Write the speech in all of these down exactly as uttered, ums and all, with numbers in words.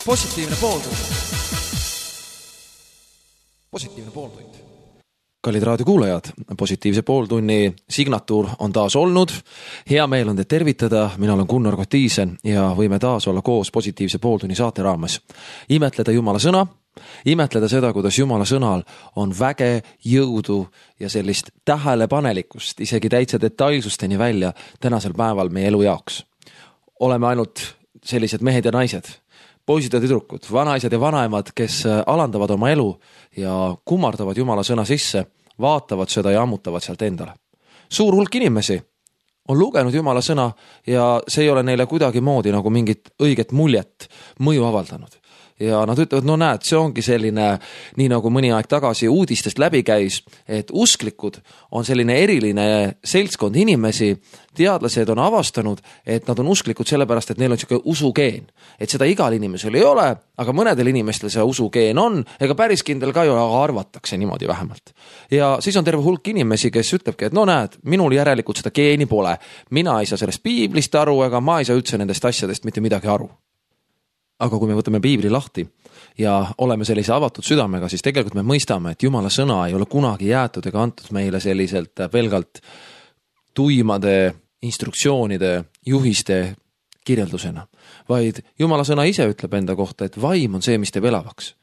positiivne pooltund. Positiivne pooltund. Kallid raadiokuulajad, positiivse pooltunni signatuur on taas olnud. Hea meel on teid tervitada, mina olen Gunnar Kotiisen ja võime taas olla koos positiivse pooltunni saate raames. Imetleda Jumala sõna, imetleda seda, kuidas Jumala sõnal on väge, jõudu ja sellist tähelepanelikkust, isegi täitsa detailsusteni välja tänasel päeval meie elu jaoks. Oleme ainult sellised mehed ja naised, poisid ja tüdrukud, vanaisad ja vanaemad, kes alandavad oma elu ja kummardavad Jumala sõna sisse, vaatavad seda ja ammutavad sealt endale. Suur hulk inimesi on lugenud Jumala sõna ja see ei ole neile kuidagi moodi nagu mingit õiget muljet mõju avaldanud. Ja nad ütlevad, no näed, see ongi selline, nii nagu mõni aeg tagasi uudistest läbi käis, et usklikud on selline eriline seltskond inimesi, teadlased on avastanud, et nad on usklikud sellepärast, et neil on selline usugeen. Et seda igal inimesel ei ole, aga mõnedel inimestel see usugeen on, ega päris kindel ka ei ole, aga arvatakse niimoodi vähemalt. Ja siis on terve hulk inimesi, kes ütlebki, et no näed, minul järelikult seda geeni pole. Mina ei saa sellest piiblist aru, ega ma ei saa üldse nendest asjadest mitte midagi aru. Aga kui me võtame piibli lahti ja oleme sellise avatud südamega, siis tegelikult me mõistame, et Jumala sõna ei ole kunagi jäetud ega antud meile selliselt pelgalt tuimade, instruktsioonide, juhiste kirjeldusena. Vaid Jumala sõna ise ütleb enda kohta, et vaim on see, mis teeb elavaks.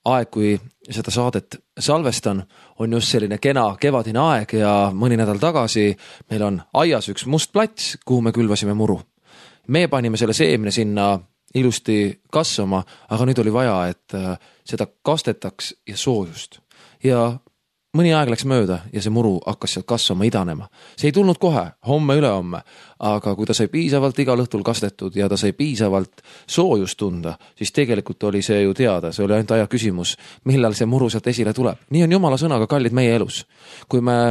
Aeg, kui seda saadet salvestan, on just selline kena kevadine aeg ja mõni nädal tagasi meil on aias üks must plats, kuhu me külvasime muru. Me panime selle seemne sinna ilusti kasvama, aga nüüd oli vaja, et seda kastetaks ja soojust. Ja mõni aeg läks mööda ja see muru hakkas sealt kasvama, idanema. See ei tulnud kohe, homme, ülehomme, aga kui ta sai piisavalt igal õhtul kastetud ja ta sai piisavalt soojust tunda, siis tegelikult oli see ju teada, see oli ainult aja küsimus, millal see muru sealt esile tuleb. Nii on Jumala sõnaga kallid meie elus. Kui me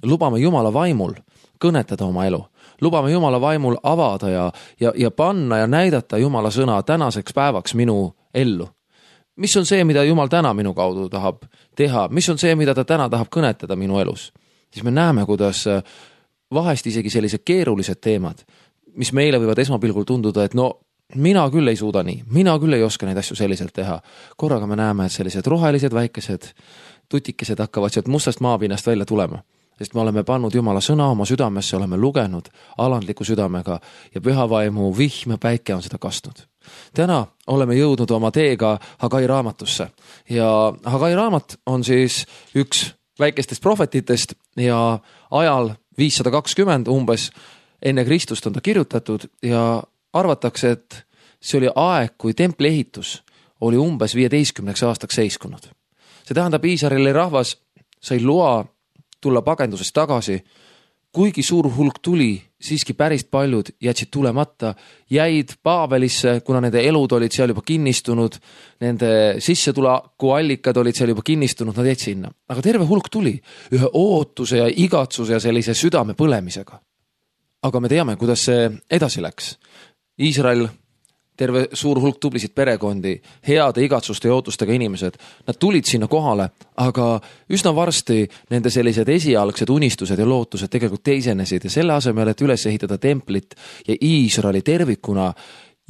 lubame Jumala vaimul kõnetada oma elu, lubame Jumala vaimul avada ja, ja, ja panna ja näidata Jumala sõna tänaseks päevaks minu ellu. Mis on see, mida Jumal täna minu kaudu tahab teha? Mis on see, mida ta täna tahab kõnetada minu elus? Siis me näeme, kuidas vahest isegi sellised keerulised teemad, mis meile võivad esmapilgul tunduda, et no mina küll ei suuda nii, mina küll ei oska neid asju selliselt teha. Korraga me näeme, et sellised rohelised, väikesed tutikesed hakkavad sealt mustast maapinnast välja tulema. Sest me oleme pannud Jumala sõna oma südamesse, oleme lugenud alandliku südamega ja pühavaimu vihm ja päike on seda kastnud. Täna oleme jõudnud oma teega Hagai raamatusse ja Hagai raamat on siis üks väikestest prohvetitest ja ajal viissada kakskümmend umbes enne Kristust on ta kirjutatud ja arvatakse, et see oli aeg, kui templi ehitus oli umbes viieteistkümneks aastaks seiskunud. See tähendab, Iisraeli rahvas sai loa tulla pagendusest tagasi, kuigi suur hulk tuli, siiski päris paljud jätsid tulemata, jäid Paabelisse, kuna nende elud olid seal juba kinnistunud, nende sissetuleku allikad olid seal juba kinnistunud, nad jäid sinna. Aga terve hulk tuli ühe ootuse ja igatsuse ja sellise südame põlemisega. Aga me teame, kuidas see edasi läks. Iisrael, terve suur hulk tublisid perekondi, heade igatsuste ja ootustega inimesed, nad tulid sinna kohale, aga üsna varsti nende sellised esialgsed unistused ja lootused tegelikult teisenesid ja selle asemel, et üles ehitada templit ja Iisraeli tervikuna,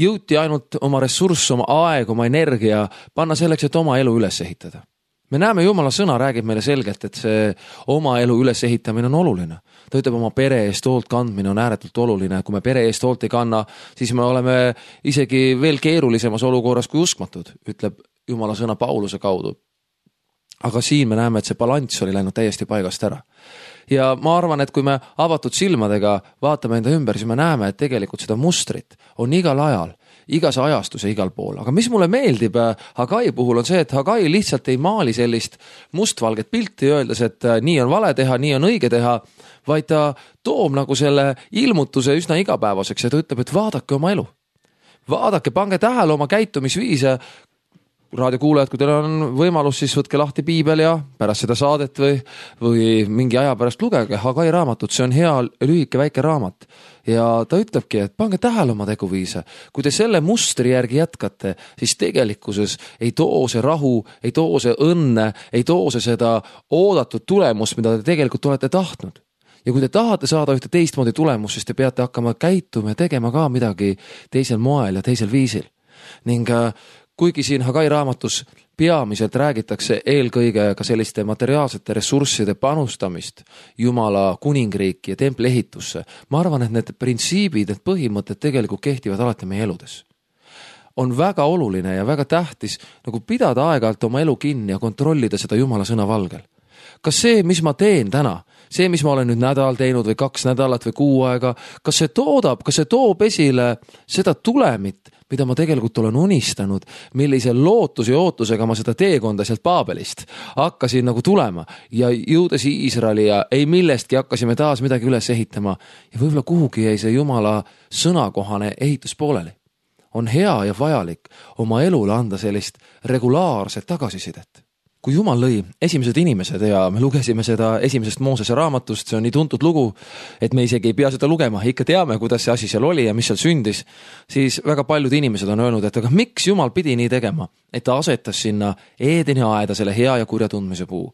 jõuti ainult oma ressurss, oma aeg, oma energia panna selleks, et oma elu üles ehitada. Me näeme, Jumala sõna räägib meile selgelt, et see oma elu üles ehitamine on oluline. Ta ütleb, oma pere eest hoolt kandmine on ääretult oluline. Kui me pere eest hoolt ei kanna, siis me oleme isegi veel keerulisemas olukorras kui uskmatud, ütleb Jumala sõna Pauluse kaudu. Aga siin me näeme, et see balanss oli läinud täiesti paigast ära. Ja ma arvan, et kui me avatud silmadega vaatame enda ümber, siis me näeme, et tegelikult seda mustrit on igal ajal, igas ajastus ja igal pool. Aga mis mulle meeldib Hagai puhul on see, et Hagai lihtsalt ei maali sellist mustvalget pilti öeldes, et nii on vale teha, nii on õige teha, vaid ta toob nagu selle ilmutuse üsna igapäevaseks ja ta ütleb, et vaadake oma elu. Vaadake, pange tähele oma käitumisviise. Raadiokuulajad, kui teil on võimalus, siis võtke lahti piibel ja pärast seda saadet või, või mingi aja pärast lugege Hagai raamatut. See on hea lühike väike raamat. Ja ta ütlebki, et pange tähele oma teguviise. Kui te selle mustri järgi jätkate, siis tegelikkuses ei too see rahu, ei too see õnne, ei too see seda oodatud tulemust, mida te tegelikult olete tahtnud. Ja kui te tahate saada ühte teistmoodi tulemus, siis te peate hakkama käituma ja tegema ka midagi teisel moel ja teisel viisil. ning kuigi siin Hagai raamatus peamiselt räägitakse eelkõige ka selliste materiaalsete ressursside panustamist Jumala kuningriiki ja templi ehitusse, ma arvan, et need printsiibid, need põhimõtted tegelikult kehtivad alati meie eludes. On väga oluline ja väga tähtis nagu pidada aeg-ajalt oma elu kinni ja kontrollida seda Jumala sõna valgel. Kas see, mis ma teen täna, see, mis ma olen nüüd nädal teinud või kaks nädalat või kuu aega, kas see toodab, kas see toob esile seda tulemit, mida ma tegelikult olen unistanud, millise lootus ja ootusega ma seda teekonda sealt Paabelist hakkasin nagu tulema ja jõudes Iisraeli ja ei millestki hakkasime taas midagi üles ehitama ja võib-olla kuhugi jäi see Jumala sõnakohane ehitus pooleli. On hea ja vajalik oma elule anda sellist regulaarset tagasisidet. Kui Jumal lõi esimesed inimesed ja me lugesime seda esimesest Moosese raamatust, see on nii tuntud lugu, et me isegi ei pea seda lugema, ikka teame, kuidas see asi seal oli ja mis seal sündis, siis väga paljud inimesed on öelnud, et aga miks Jumal pidi nii tegema, et ta asetas sinna Eedeni aeda selle hea ja kurja tundmise puu.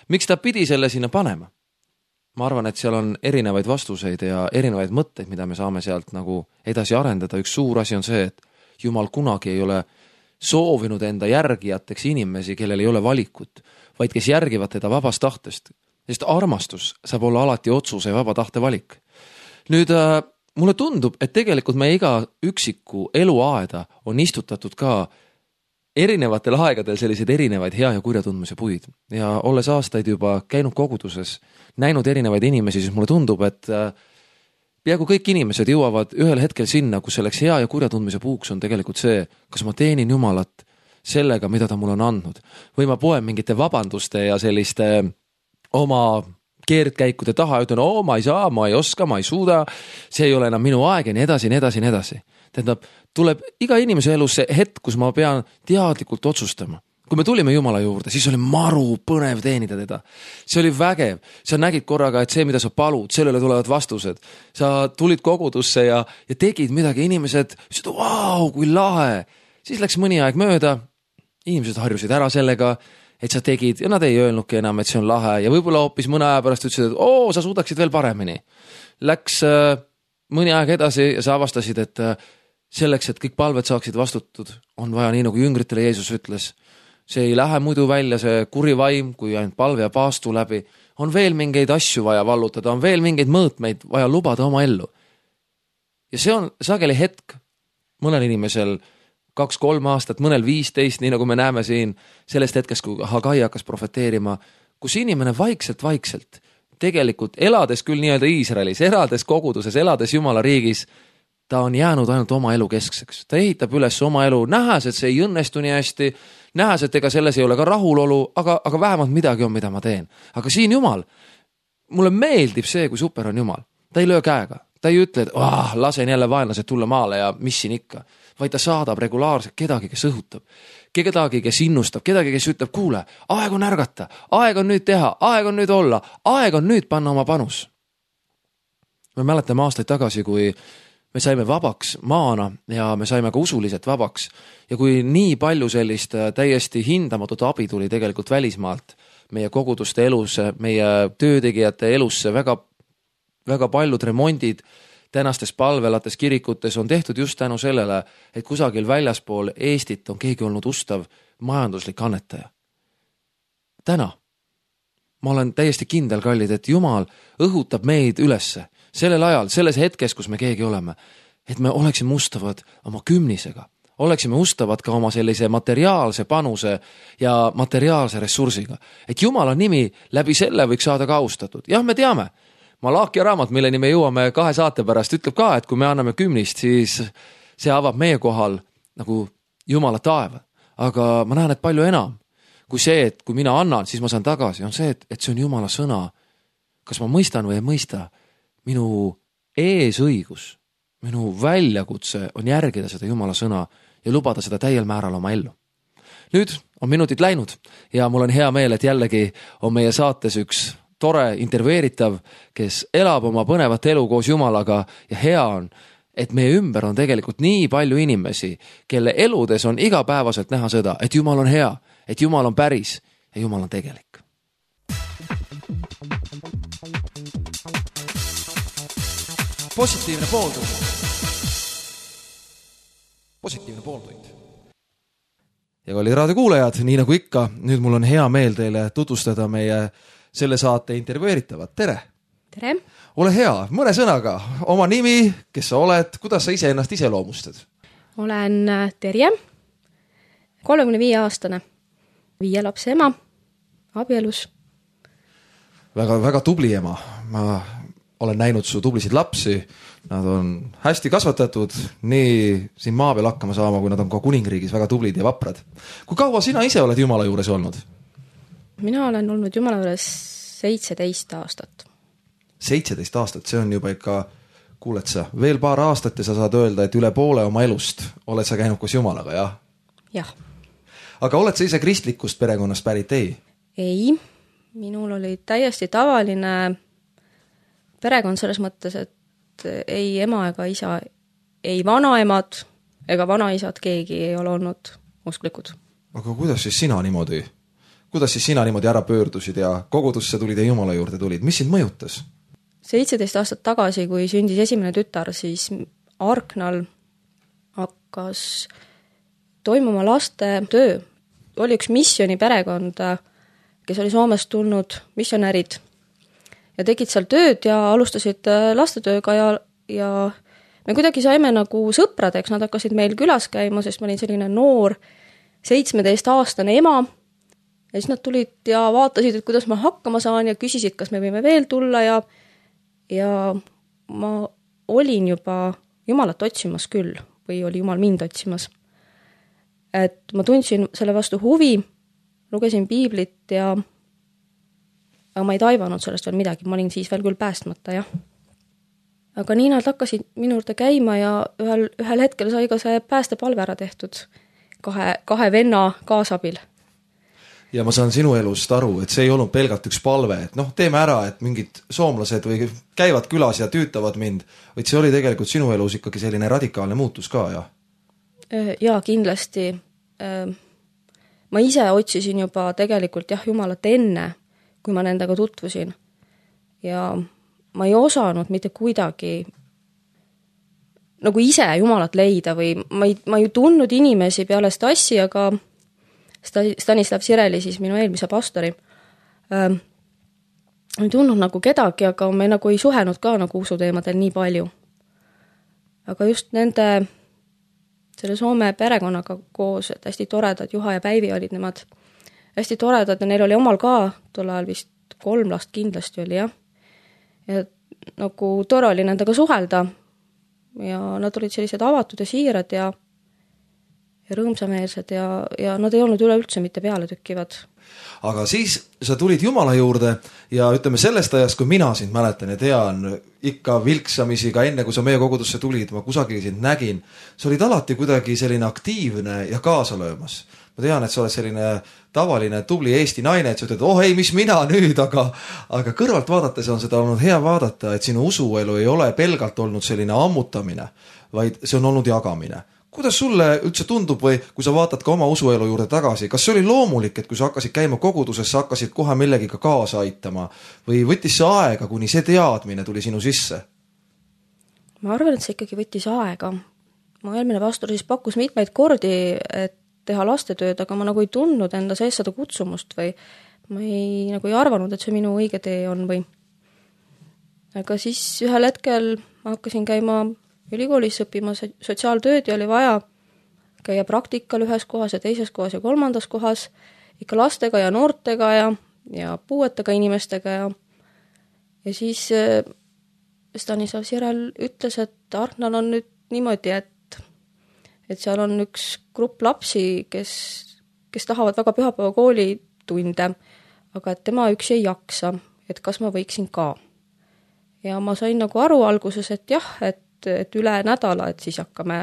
Miks ta pidi selle sinna panema? Ma arvan, et seal on erinevaid vastuseid ja erinevaid mõtteid, mida me saame sealt nagu edasi arendada. Üks suur asi on see, et Jumal kunagi ei ole soovinud enda järgijateks inimesi, kellel ei ole valikut, vaid kes järgivad teda vabast tahtest. Sest armastus saab olla alati otsuse ja vaba tahte valik. Nüüd äh, mulle tundub, et tegelikult meie iga üksiku eluaeda on istutatud ka erinevatel aegadel selliseid erinevaid hea ja kurja tundmise puid. Ja olles aastaid juba käinud koguduses, näinud erinevaid inimesi, siis mulle tundub, et äh, peaaegu kõik inimesed jõuavad ühel hetkel sinna, kus selleks hea ja kurja tundmise puuks on tegelikult see, kas ma teenin Jumalat sellega, mida ta mulle on andnud. Või ma poen mingite vabanduste ja selliste oma keerdkäikude taha ja ütlen, oo, ma ei saa, ma ei oska, ma ei suuda, see ei ole enam minu aeg ja nii edasi, nii edasi, nii edasi. Tähendab, tuleb iga inimese elus see hetk, kus ma pean teadlikult otsustama. Kui me tulime Jumala juurde, siis oli maru põnev teenida teda. See oli vägev. Sa nägid korraga, et see, mida sa palud, sellele tulevad vastused. Sa tulid kogudusse ja, ja tegid midagi. Inimesed ütlesid, vau, kui lahe. Siis läks mõni aeg mööda. Inimesed harjusid ära sellega, et sa tegid ja nad ei öelnudki enam, et see on lahe. Ja võib-olla hoopis mõne aja pärast ütlesid, et oo, sa suudaksid veel paremini. Läks äh, mõni aeg edasi ja sa avastasid, et äh, selleks, et kõik palved saaksid vastutud, on vaja nii, nagu jüngritele Jeesus ütles. See ei lähe muidu välja, see kuri vaim, kui ainult palve ja paastu läbi. On veel mingeid asju vaja vallutada, on veel mingeid mõõtmeid vaja lubada oma ellu. Ja see on sageli hetk mõnel inimesel kaks-kolm aastat, mõnel viisteist, nii nagu me näeme siin sellest hetkest, kui Hagai hakkas profeteerima, kus inimene vaikselt-vaikselt, tegelikult elades küll nii-öelda Iisraelis, elades koguduses, elades Jumala riigis, ta on jäänud ainult oma elu keskseks. Ta ehitab üles oma elu, nähes, et see ei õnnestu nii hästi, nähes, et ega selles ei ole ka rahulolu, aga, aga vähemalt midagi on, mida ma teen. Aga siin Jumal, mulle meeldib see, kui super on Jumal. Ta ei löö käega. Ta ei ütle, et oh, lasen jälle vaenlased tulla maale ja mis siin ikka. Vaid ta saadab regulaarselt kedagi, kes õhutab. Kedagi, kes innustab, kedagi, kes ütleb, kuule, aeg on ärgata, aeg on nüüd teha, aeg on nüüd olla, aeg on nüüd panna oma panus. Me mäletame aastaid tagasi, kui me saime vabaks maana ja me saime ka usuliselt vabaks. Ja kui nii palju sellist täiesti hindamatut abi tuli tegelikult välismaalt, meie koguduste elusse, meie töötegijate elusse, väga, väga paljud remondid tänastes palvelates kirikutes on tehtud just tänu sellele, et kusagil väljaspool Eestit on keegi olnud ustav majanduslik annetaja. Täna ma olen täiesti kindel, kallid, et Jumal õhutab meid ülesse sellel ajal, selles hetkes, kus me keegi oleme, et me oleksime ustavad oma kümnisega, oleksime ustavad ka oma sellise materiaalse panuse ja materiaalse ressursiga. Et Jumala nimi läbi selle võiks saada ka austatud. Jah, me teame, Malaakia raamat, milleni me jõuame kahe saate pärast, ütleb ka, et kui me anname kümnist, siis see avab meie kohal nagu Jumala taeva. Aga ma näen, et palju enam kui see, et kui mina annan, siis ma saan tagasi, on see, et, et see on Jumala sõna. Kas ma mõistan või ei mõista? Minu eesõigus, minu väljakutse on järgida seda Jumala sõna ja lubada seda täiel määral oma ellu. Nüüd on minutid läinud ja mul on hea meel, et jällegi on meie saates üks tore intervjueeritav, kes elab oma põnevat elu koos Jumalaga ja hea on, et meie ümber on tegelikult nii palju inimesi, kelle eludes on igapäevaselt näha seda, et Jumal on hea, et Jumal on päris ja Jumal on tegelik. Positiivne pooltund. Positiivne pooltund. ja kallid raadiokuulajad, nii nagu ikka, nüüd mul on hea meel teile tutvustada meie selle saate intervjueeritavat. Tere! Tere! Ole hea, mõne sõnaga, oma nimi, kes sa oled, kuidas sa ise ennast ise loomustad? Olen Terje, kolmekümne viie aastane, viie lapse ema, abielus. Väga, väga tubli ema. Ma olen näinud su tublisid lapsi. Nad on hästi kasvatatud, nii siin maa peal hakkama saama, kui nad on ka kuningriigis väga tublid ja vaprad. Kui kaua sina ise oled Jumala juures olnud? Mina olen olnud Jumala juures seitseteist aastat. seitseteist aastat, see on juba ikka, kuuled sa, veel paar aastat ja sa saad öelda, et üle poole oma elust oled sa käinud koos Jumalaga, jah? Jah. Aga oled sa ise kristlikust perekonnast pärit, ei? Ei, minul oli täiesti tavaline perekond selles mõttes, et ei ema ega isa, ei vanaemad ega vanaisad, keegi ei ole olnud usklikud. Aga kuidas siis sina niimoodi, kuidas siis sina niimoodi ära pöördusid ja kogudusse tulid ja Jumala juurde tulid? Mis sind mõjutas? seitseteist aastat tagasi, kui sündis esimene tütar, siis Arknal hakkas toimuma laste töö. Oli üks missiooni perekond, kes oli Soomest tulnud missionärid ja tegid seal tööd ja alustasid lastetööga ja, ja me kuidagi saime nagu sõpradeks, nad hakkasid meil külas käima, sest ma olin selline noor seitsmeteist aastane ema ja siis nad tulid ja vaatasid, et kuidas ma hakkama saan ja küsisid, kas me võime veel tulla ja ja ma olin juba Jumalat otsimas küll või oli Jumal mind otsimas. Et ma tundsin selle vastu huvi, lugesin piiblit ja aga ma ei taivanud sellest veel midagi, ma olin siis veel küll päästmata, jah. Aga nii nad hakkasid minu juurde käima ja ühel, ühel hetkel sai ka see päästepalve ära tehtud kahe, kahe venna kaasabil. Ja ma saan sinu elust aru, et see ei olnud pelgalt üks palve, et noh, teeme ära, et mingid soomlased või käivad külas ja tüütavad mind, vaid see oli tegelikult sinu elus ikkagi selline radikaalne muutus ka, jah? Jaa, kindlasti. Ma ise otsisin juba tegelikult jah, Jumalat enne, kui ma nendega tutvusin. Ja ma ei osanud mitte kuidagi nagu ise Jumalat leida või ma ei, ma ei tundnud inimesi peale Stassi, aga Stanislav Sireli, siis minu eelmise pastori, ähm, ei tundnud nagu kedagi, aga me nagu ei suhenud ka nagu usuteemadel nii palju. Aga just nende, selle Soome perekonnaga koos, et hästi toredad, Juha ja Päivi olid nemad hästi toredad ja neil oli omal ka, tol ajal vist kolm last kindlasti oli, jah. Ja nagu tore oli nendega suhelda ja nad olid sellised avatud ja siirad ja ja rõõmsameelsed ja, ja nad ei olnud üleüldse mitte peale tükkivad. Aga siis sa tulid Jumala juurde ja ütleme sellest ajast, kui mina sind mäletan ja tean, ikka vilksamisi ka enne, kui sa meie kogudusse tulid, ma kusagil sind nägin, sa olid alati kuidagi selline aktiivne ja kaasalöömas. Ma tean, et sa oled selline tavaline tubli Eesti naine, et sa ütled, oh ei, mis mina nüüd, aga, aga kõrvalt vaadates on seda olnud hea vaadata, et sinu usuelu ei ole pelgalt olnud selline ammutamine, vaid see on olnud jagamine. Kuidas sulle üldse tundub või kui sa vaatad ka oma usuelu juurde tagasi, kas see oli loomulik, et kui sa hakkasid käima koguduses, sa hakkasid kohe millegiga kaasa aitama või võttis see aega, kuni see teadmine tuli sinu sisse? Ma arvan, et see ikkagi võttis aega. Ma eelmine pastor siis pakkus mitmeid kordi, et teha lastetööd, aga ma nagu ei tundnud enda sees seda kutsumust või ma ei, nagu ei arvanud, et see minu õige tee on või. Aga siis ühel hetkel ma hakkasin käima ülikoolis õppima sotsiaaltööd ja oli vaja käia praktikal ühes kohas ja teises kohas ja kolmandas kohas, ikka lastega ja noortega ja, ja puuetega inimestega ja, ja siis Stanislav Sirel ütles, et Arknal on nüüd niimoodi, et, et seal on üks grupp lapsi, kes, kes tahavad väga pühapäeva kooli tunde, aga et tema üksi ei jaksa, et kas ma võiksin ka. Ja ma sain nagu aru alguses, et jah, et et üle nädala, et siis hakkame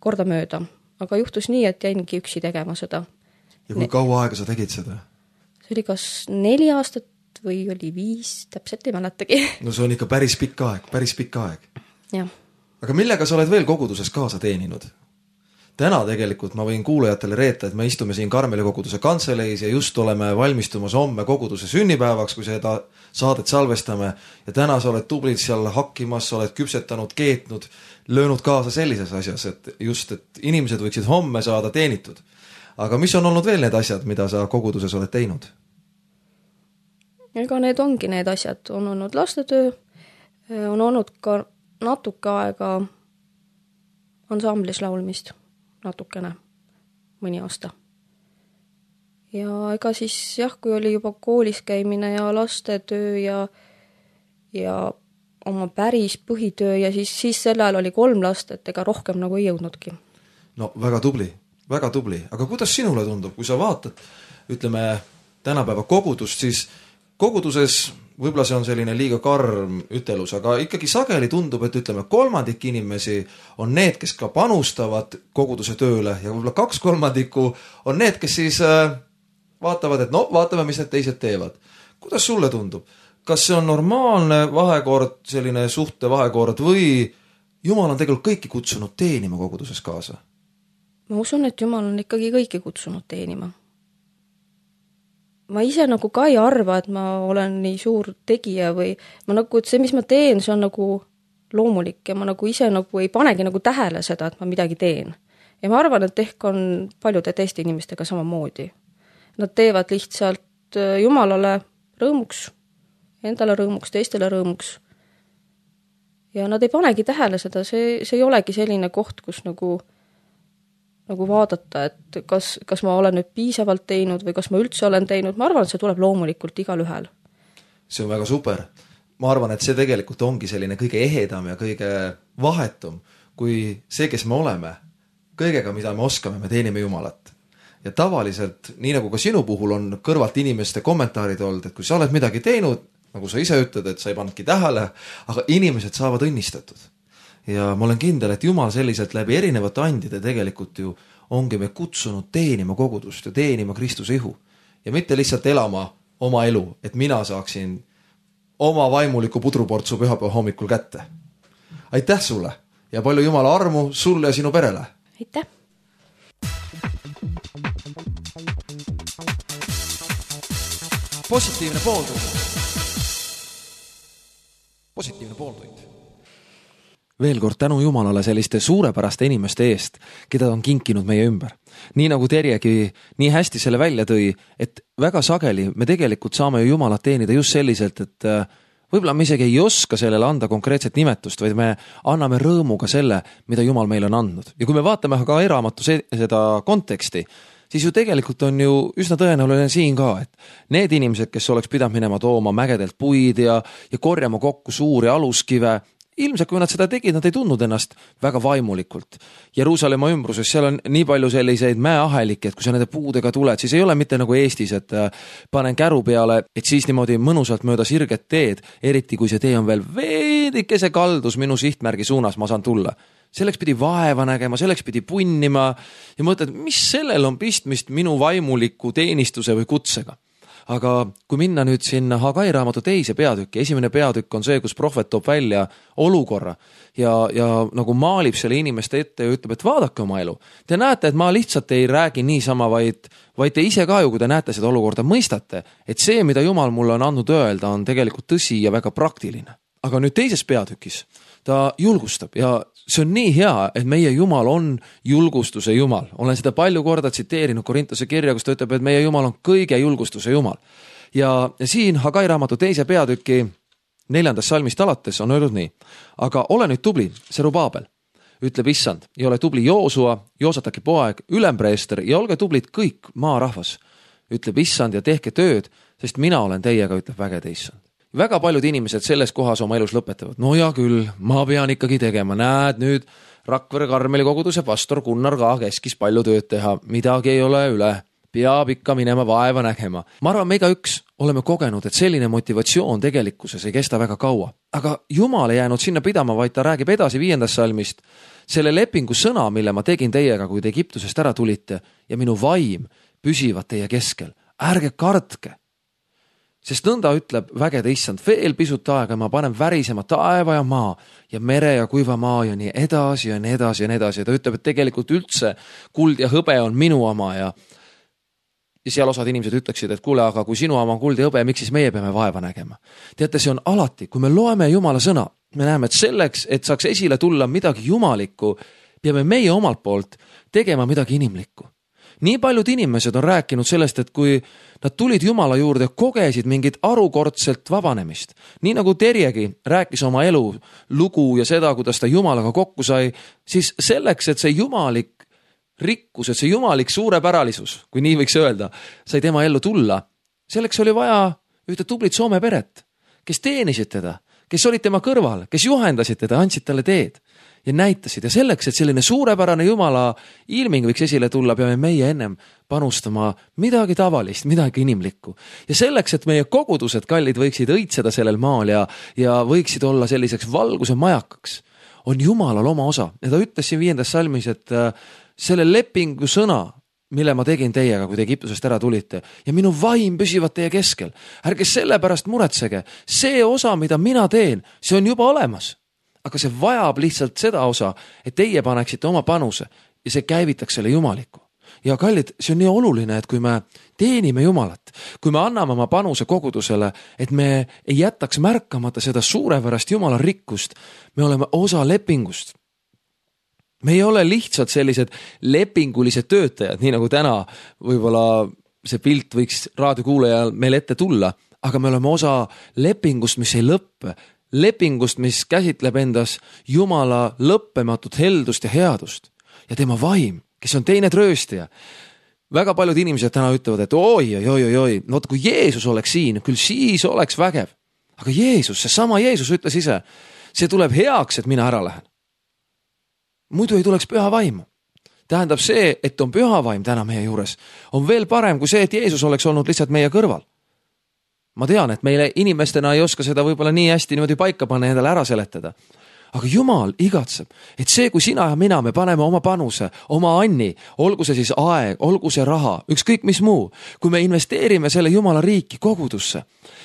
korda mööda. Aga juhtus nii, et jäingi üksi tegema seda. Ja kui kaua aega sa tegid seda? See oli kas neli aastat või oli viis, täpselt ei mäletagi. No see on ikka päris pikk aeg, päris pikk aeg. Jah. Aga millega sa oled veel koguduses kaasa teeninud? Täna tegelikult ma võin kuulajatele reeta, et me istume siin Karmeli koguduse kantseleis ja just oleme valmistumas homme koguduse sünnipäevaks, kui seda saadet salvestame. Ja täna sa oled tublid seal hakkimas, sa oled küpsetanud, keetnud, löönud kaasa sellises asjas, et just, et inimesed võiksid homme saada teenitud. aga mis on olnud veel need asjad, mida sa koguduses oled teinud? Ega need ongi need asjad, on olnud lastetöö, on olnud ka natuke aega ansamblis laulmist, natukene, mõni aasta. Ja ega siis jah, kui oli juba koolis käimine ja lastetöö ja, ja oma päris põhitöö ja siis, siis sel ajal oli kolm last, et ega rohkem nagu ei jõudnudki. No väga tubli, väga tubli, aga kuidas sinule tundub, kui sa vaatad, ütleme, tänapäeva kogudust, siis koguduses võib-olla see on selline liiga karm ütelus, aga ikkagi sageli tundub, et ütleme, kolmandik inimesi on need, kes ka panustavad koguduse tööle ja võib-olla kaks kolmandikku on need, kes siis vaatavad, et no vaatame, mis need teised teevad. Kuidas sulle tundub? Kas see on normaalne vahekord, selline suhte vahekord või Jumal on tegelikult kõiki kutsunud teenima koguduses kaasa? Ma usun, et Jumal on ikkagi kõiki kutsunud teenima. Ma ise nagu ka ei arva, et ma olen nii suur tegija või ma nagu, et see, mis ma teen, see on nagu loomulik ja ma nagu ise nagu ei panegi nagu tähele seda, et ma midagi teen. Ja ma arvan, et ehk on paljude teiste inimestega samamoodi. Nad teevad lihtsalt Jumalale rõõmuks, endale rõõmuks, teistele rõõmuks. Ja nad ei panegi tähele seda, see, see ei olegi selline koht, kus nagu nagu vaadata, et kas, kas ma olen nüüd piisavalt teinud või kas ma üldse olen teinud. Ma arvan, et see tuleb loomulikult igal ühel. See on väga super. Ma arvan, et see tegelikult ongi selline kõige ehedam ja kõige vahetum, kui see, kes me oleme, kõigega, mida me oskame, me teenime Jumalat. Ja tavaliselt, nii nagu ka sinu puhul on kõrvalt inimeste kommentaarid olnud, et kui sa oled midagi teinud, nagu sa ise ütled, et sa ei pannudki tähele, aga inimesed saavad õnnistatud. Ja ma olen kindel, et Jumal selliselt läbi erinevate andide tegelikult ju ongi me kutsunud teenima kogudust ja teenima Kristuse ihu. Ja mitte lihtsalt elama oma elu, et mina saaksin oma vaimuliku pudruportsu pühapäeva hommikul kätte. Aitäh sulle ja palju Jumala armu sulle ja sinu perele. Aitäh! Positiivne pooltund. Positiivne pooltund. Veel kord tänu Jumalale selliste suurepäraste inimeste eest, keda on kinkinud meie ümber. Nii nagu Terjegi nii hästi selle välja tõi, et väga sageli me tegelikult saame ju Jumalat teenida just selliselt, et võib-olla me isegi ei oska sellele anda konkreetset nimetust, vaid me anname rõõmuga selle, mida Jumal meile on andnud. Ja kui me vaatame ka eraamatu seda konteksti, siis ju tegelikult on ju üsna tõenäoline siin ka, et need inimesed, kes oleks pidanud minema tooma mägedelt puid ja, ja korjama kokku suuri aluskive, ilmselt kui nad seda tegid, nad ei tundnud ennast väga vaimulikult. Jeruusalemma ümbruses seal on nii palju selliseid mäeahelikke, et kui sa nende puudega tuled, siis ei ole mitte nagu Eestis, et panen käru peale, et siis niimoodi mõnusalt mööda sirget teed, eriti kui see tee on veel veedikese kaldus minu sihtmärgi suunas, ma saan tulla. Selleks pidi vaeva nägema, selleks pidi punnima ja mõtled, mis sellel on pistmist minu vaimuliku teenistuse või kutsega. Aga kui minna nüüd sinna Hagai raamatu teise peatükki, esimene peatükk on see, kus prohvet toob välja olukorra ja, ja nagu maalib selle inimeste ette ja ütleb, et vaadake oma elu. Te näete, et ma lihtsalt ei räägi niisama, vaid, vaid te ise ka ju, kui te näete seda olukorda, mõistate, et see, mida Jumal mulle on andnud öelda, on tegelikult tõsi ja väga praktiline. Aga nüüd teises peatükis ta julgustab ja see on nii hea, et meie Jumal on julgustuse Jumal. Olen seda palju korda tsiteerinud Korintuse kirja, kus ta ütleb, et meie Jumal on kõige julgustuse Jumal. Ja, ja siin Hagai raamatu teise peatüki neljandast salmist alates on öeldud nii. Aga ole nüüd tubli, Serubaabel, ütleb issand, ja ole tubli Joosua, Joosataki poeg, ülempreester ja olge tublid kõik maarahvas, ütleb issand ja tehke tööd, sest mina olen teiega, ütleb vägede issand. Väga paljud inimesed selles kohas oma elus lõpetavad. No ja küll, ma pean ikkagi tegema. Näed nüüd Rakvere Karmeli koguduse pastor Gunnar ka keskis palju tööd teha. Midagi ei ole üle. Peab ikka minema vaeva nägema. Ma arvan, me iga üks oleme kogenud, et selline motivatsioon tegelikkuses ei kesta väga kaua. Aga Jumal ei jäänud sinna pidama, vaid ta räägib edasi viiendast salmist. Selle lepingu sõna, mille ma tegin teiega, kui te Egiptusest ära tulite ja minu vaim püsivad teie keskel. Ärge kartke. Sest nõnda ütleb vägede issand, veel pisut aega ma panen värisema taeva ja maa ja mere ja kuiva maa ja nii edasi ja nii edasi ja nii edasi. Ja ta ütleb, et tegelikult üldse kuld ja hõbe on minu oma ja, ja seal osad inimesed ütleksid, et kuule, aga kui sinu oma on kuld ja hõbe, miks siis meie peame vaeva nägema? Teate, see on alati, kui me loeme Jumala sõna, me näeme, et selleks, et saaks esile tulla midagi jumalikku, peame meie omalt poolt tegema midagi inimlikku. nii paljud inimesed on rääkinud sellest, et kui nad tulid Jumala juurde, kogesid mingit arukordselt vabanemist. Nii nagu Terjegi rääkis oma elu lugu ja seda, kuidas ta Jumalaga kokku sai, siis selleks, et see jumalik rikkus, et see jumalik suurepäralisus, kui nii võiks öelda, sai tema ellu tulla, selleks oli vaja ühte tublit Soome peret, kes teenisid teda, kes olid tema kõrval, kes juhendasid teda, andsid talle teed ja näitasid. Ja selleks, et selline suurepärane Jumala ilming võiks esile tulla, peame meie ennem panustama midagi tavalist, midagi inimlikku. Ja selleks, et meie kogudused, kallid, võiksid õitseda sellel maal ja, ja võiksid olla selliseks valguse majakaks, on Jumalal oma osa. Ja ta ütles siin viiendas salmis, et selle lepingu sõna, mille ma tegin teiega, kui te Egiptusest ära tulite, ja minu vaim püsivad teie keskel. Ärge selle pärast muretsege. See osa, mida mina teen, see on juba olemas. Aga see vajab lihtsalt seda osa, et teie paneksite oma panuse ja see käivitaks selle jumaliku. Ja kallid, see on nii oluline, et kui me teenime Jumalat, kui me anname oma panuse kogudusele, et me ei jätaks märkamata seda suurepärast Jumala rikkust, me oleme osa lepingust. Me ei ole lihtsalt sellised lepingulised töötajad, nii nagu täna võib-olla see pilt võiks raadiokuulajal meil ette tulla, aga me oleme osa lepingust, mis ei lõppe, lepingust, mis käsitleb endas Jumala lõppematut heldust ja headust ja tema vaim, kes on teine trööstaja. Väga paljud inimesed täna ütlevad, et oi, oi, oi, oi, no kui Jeesus oleks siin, küll siis oleks vägev. Aga Jeesus, see sama Jeesus ütles ise, see tuleb heaks, et mina ära lähen. Muidu ei tuleks püha vaim. Tähendab see, et on püha vaim täna meie juures, on veel parem kui see, et Jeesus oleks olnud lihtsalt meie kõrval. Ma tean, et meile inimestena ei oska seda võib-olla nii hästi niimoodi paika panna ja endale ära seletada. Aga Jumal igatseb, et see, kui sina ja mina, me paneme oma panuse, oma anni, olgu see siis aeg, olgu see raha, ükskõik mis muu, kui me investeerime selle Jumala riiki kogudusse,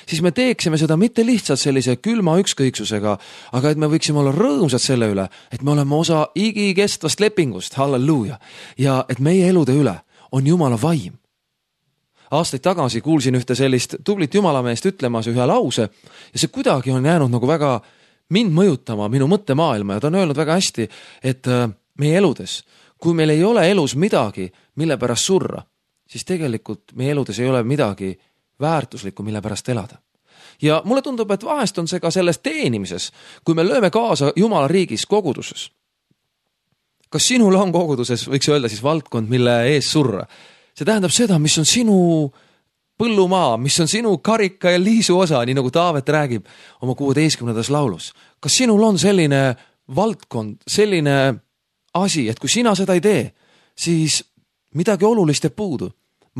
siis me teeksime seda mitte lihtsalt sellise külma ükskõiksusega, aga et me võiksime olla rõõmsad selle üle, et me oleme osa igikestvast lepingust, halleluuja, ja et meie elude üle on Jumala vaim. Aastaid tagasi kuulsin ühte sellist tublit jumalameest ütlemas ühe lause ja see kuidagi on jäänud nagu väga mind mõjutama minu mõttemaailma ja ta on öelnud väga hästi, et meie eludes, kui meil ei ole elus midagi, mille pärast surra, siis tegelikult meie eludes ei ole midagi väärtuslikku, mille pärast elada. Ja mulle tundub, et vahest on see ka selles teenimises, kui me lööme kaasa Jumala riigis koguduses. Kas sinul on koguduses, võiks öelda siis valdkond, mille ees surra? See tähendab seda, mis on sinu põllumaa, mis on sinu karika ja liisu osa, nii nagu Taavet räägib oma kuueteistkümnendas laulus. Kas sinul on selline valdkond, selline asi, et kui sina seda ei tee, siis midagi olulist jääb puudu.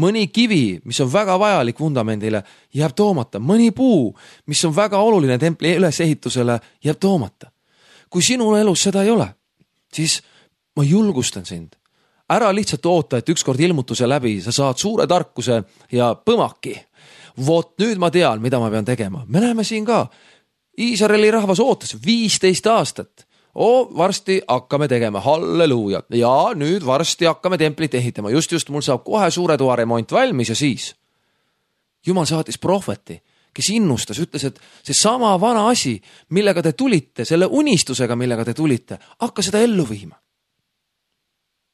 Mõni kivi, mis on väga vajalik vundamendile, jääb toomata. Mõni puu, mis on väga oluline templi ülesehitusele, jääb toomata. Kui sinul elus seda ei ole, siis ma julgustan sind. Ära lihtsalt oota, et ükskord ilmutuse läbi sa saad suure tarkuse ja põmaki. Vot nüüd ma tean, mida ma pean tegema. Me näeme siin ka. Iisraeli rahvas ootas viisteist aastat. O, varsti hakkame tegema, halleluuja. Ja nüüd varsti hakkame templit ehitama. Just, just mul saab kohe suure toa remont valmis ja siis. Jumal saatis prohveti, kes innustas, ütles, et see sama vana asi, millega te tulite, selle unistusega, millega te tulite, hakka seda ellu viima.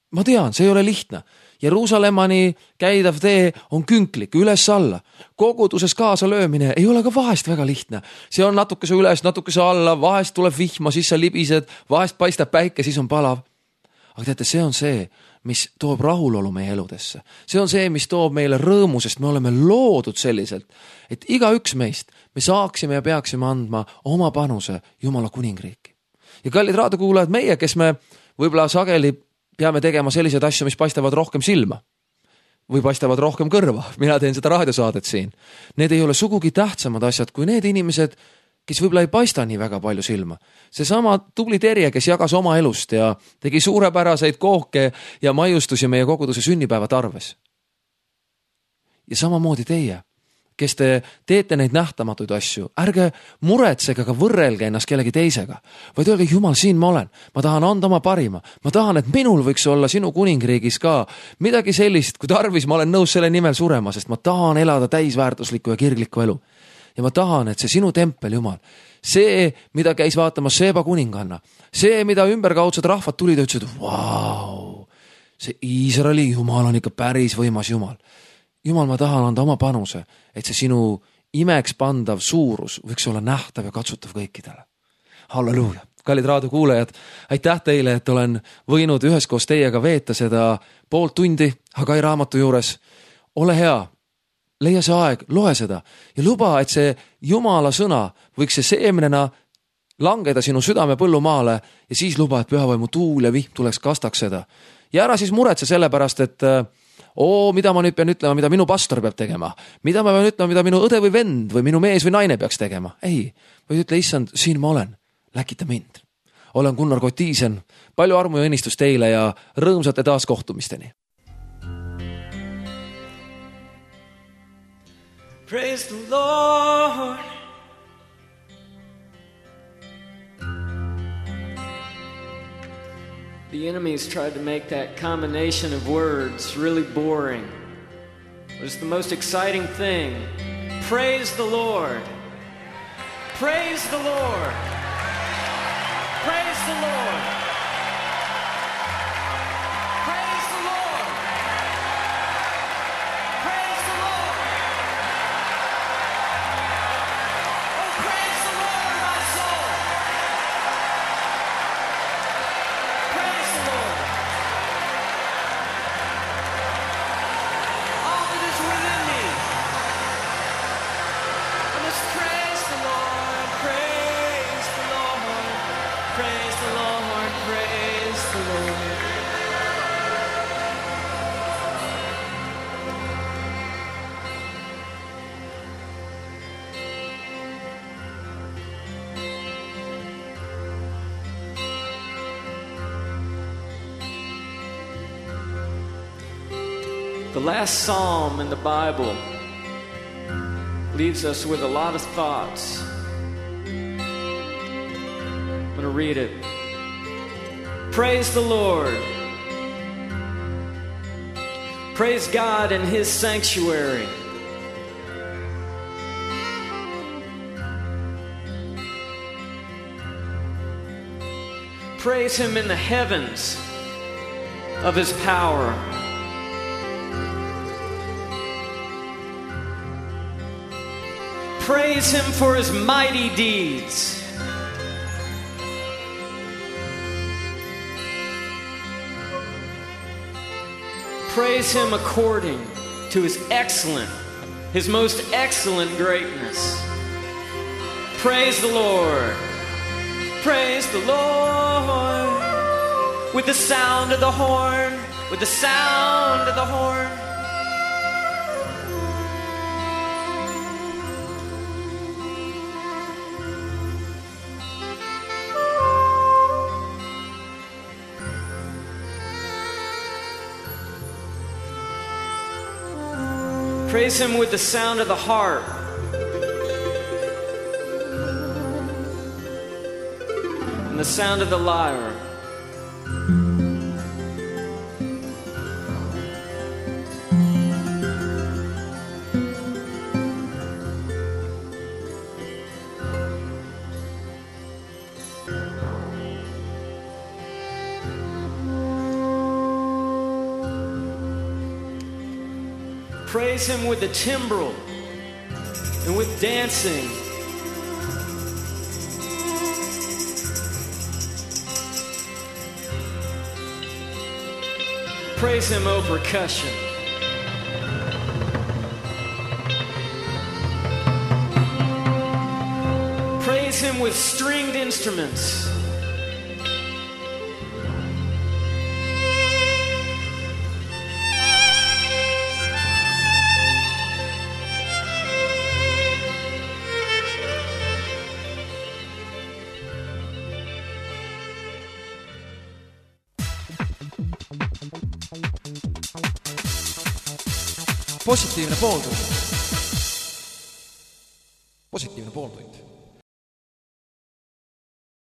Ma tean, see ei ole lihtne. Jeruusalemmani käidav tee on künklik, üles alla. Koguduses kaasa löömine ei ole ka vahest väga lihtne. See on natukese üles, natukese alla, vahest tuleb vihma, siis sa libised, vahest paistab päike, siis on palav. Aga teate, see on see, mis toob rahulolu meie eludesse. See on see, mis toob meile rõõmu, sest me oleme loodud selliselt, et iga üks meist me saaksime ja peaksime andma oma panuse Jumala kuningriiki. Ja kallid raadiokuulajad, meie, kes me võib-olla sageli peame tegema sellised asju, mis paistavad rohkem silma või paistavad rohkem kõrva. Mina teen seda raadiosaadet siin. Need ei ole sugugi tähtsamad asjad kui need inimesed, kes võib-olla ei paista nii väga palju silma. See sama tubli Terje, kes jagas oma elust ja tegi suurepäraseid kooke ja maiustusi meie koguduse sünnipäeva tarves. Ja samamoodi teie, kes te teete neid nähtamatuid asju, ärge muretsege, aga võrrelge ennast kellegi teisega, vaid öelge, Jumal, siin ma olen, ma tahan anda oma parima, ma tahan, et minul võiks olla sinu kuningriigis ka midagi sellist, kui tarvis, ma olen nõus selle nimel surema, sest ma tahan elada täisväärtuslikku ja kirglikku elu. Ja ma tahan, et see sinu tempel, Jumal, see, mida käis vaatama Seeba kuninganna, see, mida ümberkaudsed rahvad tulid ja ütlesid, vau, see Iisraeli Jumal on ikka päris võimas Jumal. Jumal, ma tahan anda oma panuse, et see sinu imeks pandav suurus võiks olla nähtav ja katsutav kõikidele. Halleluuja. Kallid raadiokuulajad, aitäh teile, et olen võinud üheskoos teiega veeta seda poolt tundi Hagai raamatu juures. Ole hea, leia see aeg, loe seda ja luba, et see Jumala sõna võiks see seemnena langeda sinu südame põllumaale ja siis luba, et pühavaimu tuul ja vihm tuleks kastaks seda. Ja ära siis muretse selle pärast, et oo, mida ma nüüd pean ütlema, mida minu pastor peab tegema, mida ma pean ütlema, mida minu õde või vend või minu mees või naine peaks tegema. Ei, või ütle, issand, siin ma olen, läkita mind. Olen Gunnar Kotiisen, palju armu ja õnnistus teile ja rõõmsate taas kohtumisteni. Praise the Lord. The enemies tried to make that combination of words really boring. But it's the most exciting thing. Praise the Lord. Praise the Lord. Praise the Lord. Praise the Lord. Praise the Lord. Oh, praise the Lord, my soul. Praise the Lord. All that is within me. I must praise the Lord. Praise the Lord. Praise the Lord. Praise the Lord. The last psalm in the Bible leaves us with a lot of thoughts. I'm going to read it. Praise the Lord. Praise God in His sanctuary. Praise Him in the heavens of His power. Praise Him for His mighty deeds. Praise Him according to His excellent, His most excellent greatness. Praise the Lord. Praise the Lord. With the sound of the horn, with the sound of the horn. Praise Him with the sound of the harp. And the sound of the lyre. Praise Him with the timbrel and with dancing. Praise Him, O percussion. Praise Him with stringed instruments. Positiivne pooltund. Positiivne pooltund.